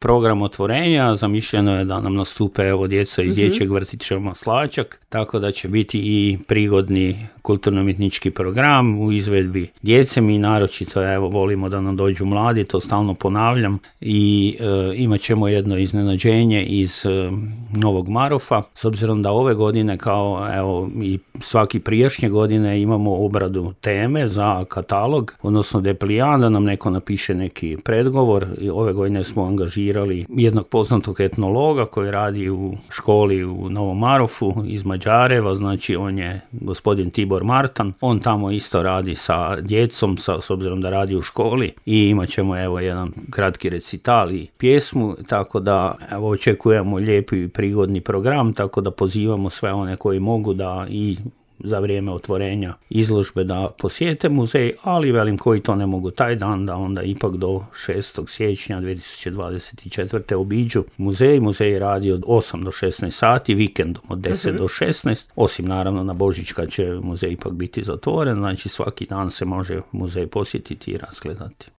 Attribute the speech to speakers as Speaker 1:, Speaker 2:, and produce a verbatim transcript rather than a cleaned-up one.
Speaker 1: program otvorenja. Zamišljeno je da nam nastupe evo djeca iz dječjeg vrtića Maslačak, tako da će biti i prigodni kulturno-umjetnički program u izvedbi djece. Mi naročito evo volimo da nam dođu mladi, to stalno ponavljam, i e, imat ćemo jedno iznenađenje iz e, Novog Marofa, s obzirom da ove godine kao evo i svaki prijašnje godine imamo obradu teme za katalog, odnosno deplijan, da nam neko napiše neki predgovor. I ove godine smo angažirali jednog poznatog etnologa koji radi u školi u Novom Marofu iz Mađareva, znači on je gospodin Tibor Martan, on tamo isto radi sa djecom, sa, s obzirom da radi u školi, i imat ćemo evo jedan kratki recital i pjesmu, tako da evo očekujemo lijepi i prigodni program, tako da pozivamo sve one koji mogu da i za vrijeme otvorenja izložbe da posjete muzej, ali velim koji to ne mogu taj dan, da onda ipak do šestog siječnja dvije tisuće dvadeset četvrte obiđu muzej. Muzej radi od osam do šesnaest sati, vikendom od deset do šesnaest, osim naravno na Božić kad će muzej ipak biti zatvoren, znači svaki dan se može muzej posjetiti i razgledati.